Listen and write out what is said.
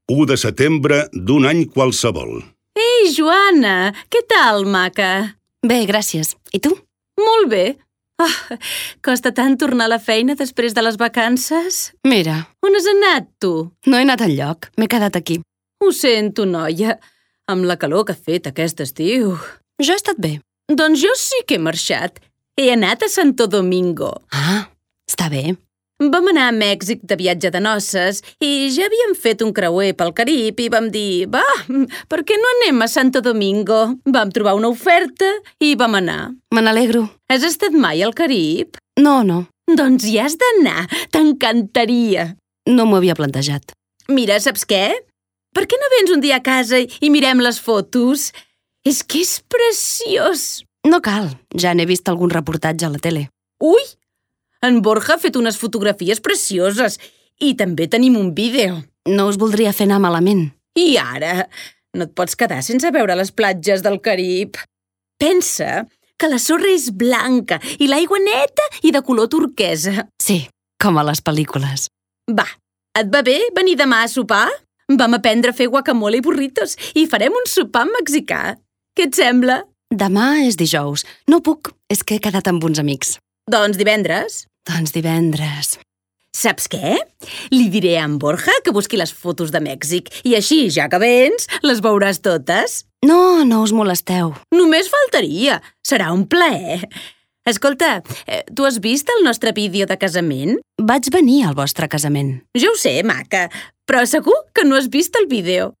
1 de setembre d'un any qualsevol. Ei, Joana, què tal, maca? Bé, gràcies. I tu? Molt bé. Costa tant tornar a la feina després de les vacances. Mira, On has anat, tu? no he anat enlloc. M'he quedat aquí. Ho sento, noia. Amb la calor que ha fet aquest estiu. Jo he estat bé. Doncs jo sí que he marxat. He anat a Santo Domingo. Ah, està bé. Vam anar a Mèxic de viatge de noces i ja havíem fet un creuer pel Carib i vam dir, va, per què no anem a Santo Domingo? Vam trobar una oferta i vam anar. Me n'alegro. Has estat mai al Carib? No. Doncs hi has d'anar, t'encantaria. No m'ho havia plantejat. Mira, saps què? Per què no vens un dia a casa i mirem les fotos? És que és preciós. No cal, ja n'he vist algun reportatge a la tele. Ui! En Borja ha fet unes fotografies precioses i també tenim un vídeo. No us voldria fer anar malament. I ara? No et pots quedar sense veure les platges del Carib. Pensa que la sorra és blanca i l'aigua neta i de color turquesa. Sí, com a les pel·lícules. Va, et va bé venir demà a sopar? Vam aprendre a fer guacamole i burritos i farem un sopar mexicà. Què et sembla? Demà és dijous. No puc, és que he quedat amb uns amics. Doncs divendres. Doncs divendres. Saps què? Li diré a en Borja que busqui les fotos de Mèxic i així, ja que vens, les veuràs totes. No us molesteu. Només faltaria. Serà un plaer. Escolta, tu has vist el nostre vídeo de casament? Vaig venir al vostre casament. Jo ho sé, maca, però segur que no has vist el vídeo.